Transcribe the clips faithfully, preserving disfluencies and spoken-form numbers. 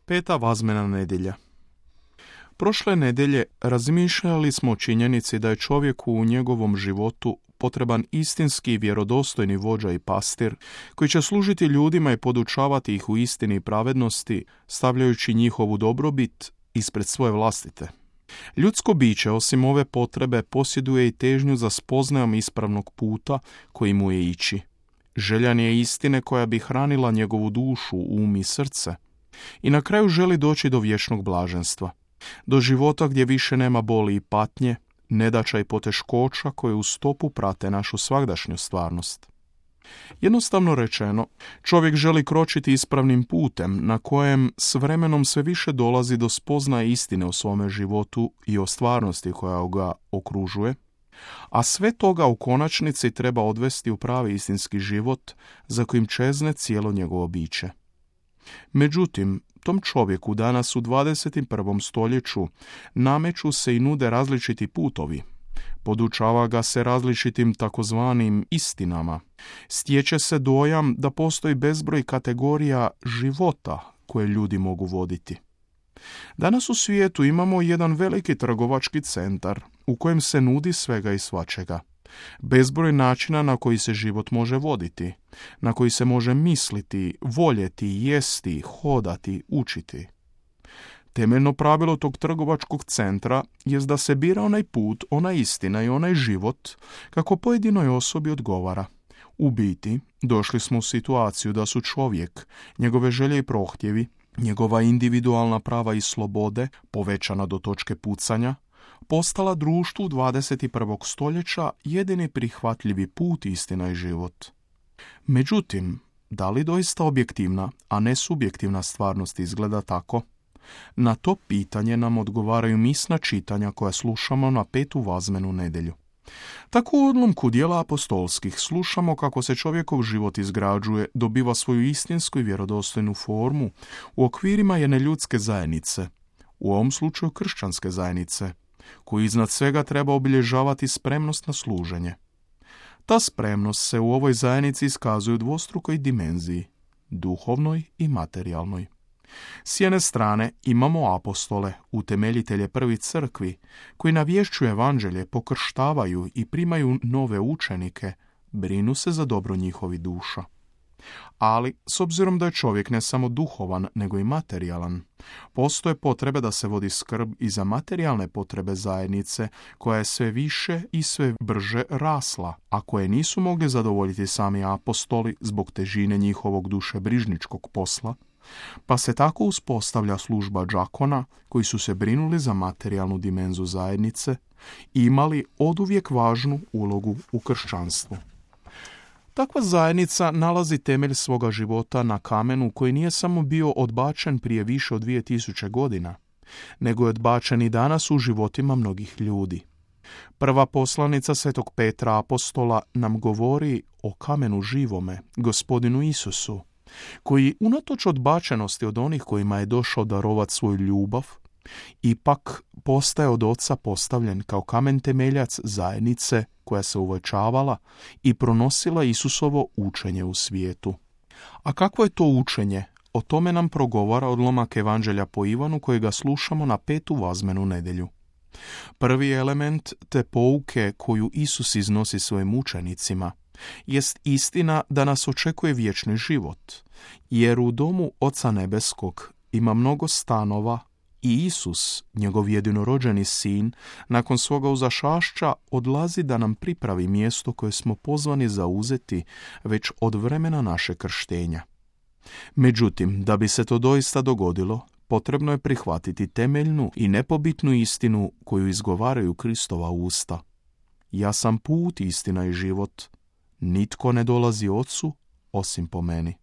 Peta vazmena nedjelja. Prošle nedjelje razmišljali smo o činjenici da je čovjeku u njegovom životu potreban istinski vjerodostojni vođa i pastir koji će služiti ljudima i podučavati ih u istini i pravednosti, stavljajući njihovu dobrobit ispred svoje vlastite. Ljudsko biće, osim ove potrebe, posjeduje i težnju za spoznajom ispravnog puta koji mu je ići. Željan je istine koja bi hranila njegovu dušu, um i srce. I na kraju želi doći do vječnog blaženstva. Do života gdje više nema boli i patnje, nedaća i poteškoća koje u stopu prate našu svagdašnju stvarnost. Jednostavno rečeno, čovjek želi kročiti ispravnim putem na kojem s vremenom sve više dolazi do spoznaje istine o svome životu i o stvarnosti koja ga okružuje, a sve toga u konačnici treba odvesti u pravi istinski život za kojim čezne cijelo njegovo biće. Međutim, tom čovjeku danas u dvadeset prvom stoljeću nameću se i nude različiti putovi. Podučava ga se različitim takozvanim istinama. Stječe se dojam da postoji bezbroj kategorija života koje ljudi mogu voditi. Danas u svijetu imamo jedan veliki trgovački centar u kojem se nudi svega i svačega. Bezbroj načina na koji se život može voditi, na koji se može misliti, voljeti, jesti, hodati, učiti. Temeljno pravilo tog trgovačkog centra jest da se bira onaj put, ona istina i onaj život kako pojedinoj osobi odgovara. U biti, došli smo u situaciju da su čovjek, njegove želje i prohtjevi, njegova individualna prava i slobode, povećana do točke pucanja, postala društvu dvadeset prvog stoljeća jedini prihvatljivi put, istina i život. Međutim, da li doista objektivna, a ne subjektivna stvarnost izgleda tako? Na to pitanje nam odgovaraju misna čitanja koja slušamo na petu vazmenu nedjelju. Tako u odlomku dijela apostolskih slušamo kako se čovjekov život izgrađuje, dobiva svoju istinsku i vjerodostojnu formu u okvirima jedne ljudske zajednice, u ovom slučaju kršćanske zajednice, koju iznad svega treba obilježavati spremnost na služenje. Ta spremnost se u ovoj zajednici iskazuje u dvostrukoj dimenziji, duhovnoj i materijalnoj. S jedne strane imamo apostole, utemeljitelje prvih crkvi, koji navješćuju evanđelje, pokrštavaju i primaju nove učenike, brinu se za dobro njihovi duša. Ali, s obzirom da je čovjek ne samo duhovan, nego i materijalan, postoje potrebe da se vodi skrb i za materijalne potrebe zajednice, koja je sve više i sve brže rasla, a koje nisu mogli zadovoljiti sami apostoli zbog težine njihovog dušebrižničkog posla, pa se tako uspostavlja služba đakona koji su se brinuli za materijalnu dimenzu zajednice i imali oduvijek važnu ulogu u kršćanstvu. Takva zajednica nalazi temelj svoga života na kamenu koji nije samo bio odbačen prije više od dvije tisuće godina, nego je odbačen i danas u životima mnogih ljudi. Prva poslanica svetog Petra apostola nam govori o kamenu živome, gospodinu Isusu, koji unatoč odbačenosti od onih kojima je došao darovat svoju ljubav, ipak postaje od oca postavljen kao kamen temeljac zajednice koja se uvećavala i pronosila Isusovo učenje u svijetu. A kakvo je to učenje? O tome nam progovara odlomak Evanđelja po Ivanu kojega slušamo na petu vazmenu nedjelju. Prvi element te pouke koju Isus iznosi svojim učenicima jest istina da nas očekuje vječni život, jer u domu Oca Nebeskog ima mnogo stanova i Isus, njegov jedinorođeni sin, nakon svoga uzašašća odlazi da nam pripravi mjesto koje smo pozvani zauzeti već od vremena naše krštenja. Međutim, da bi se to doista dogodilo, potrebno je prihvatiti temeljnu i nepobitnu istinu koju izgovaraju Kristova usta. Ja sam put, istina i život. Nitko ne dolazi Ocu osim po meni.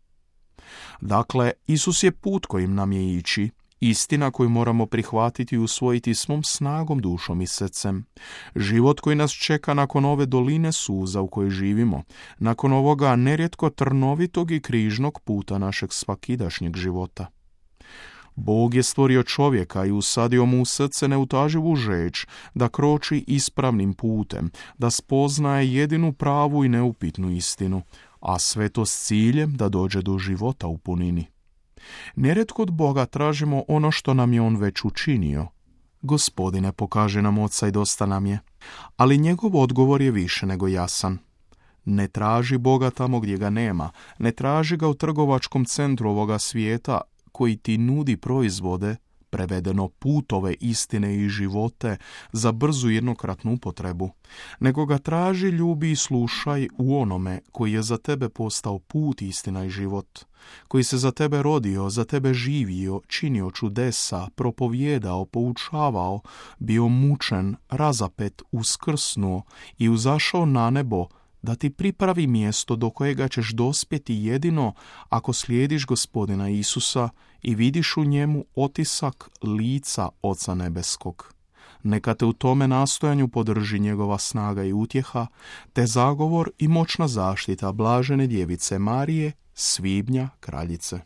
Dakle, Isus je put kojim nam je ići, istina koju moramo prihvatiti i usvojiti svom snagom, dušom i srcem. Život koji nas čeka nakon ove doline suza u kojoj živimo, nakon ovoga nerijetko trnovitog i križnog puta našeg svakidašnjeg života. Bog je stvorio čovjeka i usadio mu u srce neutaživu žeđ da kroči ispravnim putem, da spoznaje jedinu pravu i neupitnu istinu, a sve to s ciljem da dođe do života u punini. Nerijetko od Boga tražimo ono što nam je On već učinio. Gospodine, pokaži nam Oca i dosta nam je. Ali njegov odgovor je više nego jasan. Ne traži Boga tamo gdje ga nema. Ne traži ga u trgovačkom centru ovoga svijeta koji ti nudi proizvode, prevedeno putove istine i živote za brzu jednokratnu upotrebu, nego ga traži, ljubi i slušaj u onome koji je za tebe postao put, istina i život, koji se za tebe rodio, za tebe živio, činio čudesa, propovjedao, poučavao, bio mučen, razapet, uskrsnuo i uzašao na nebo da ti pripravi mjesto do kojega ćeš dospjeti jedino ako slijediš Gospodina Isusa i vidiš u njemu otisak lica Oca nebeskog. Neka te u tome nastojanju podrži njegova snaga i utjeha, te zagovor i moćna zaštita blažene djevice Marije, svibnja kraljice.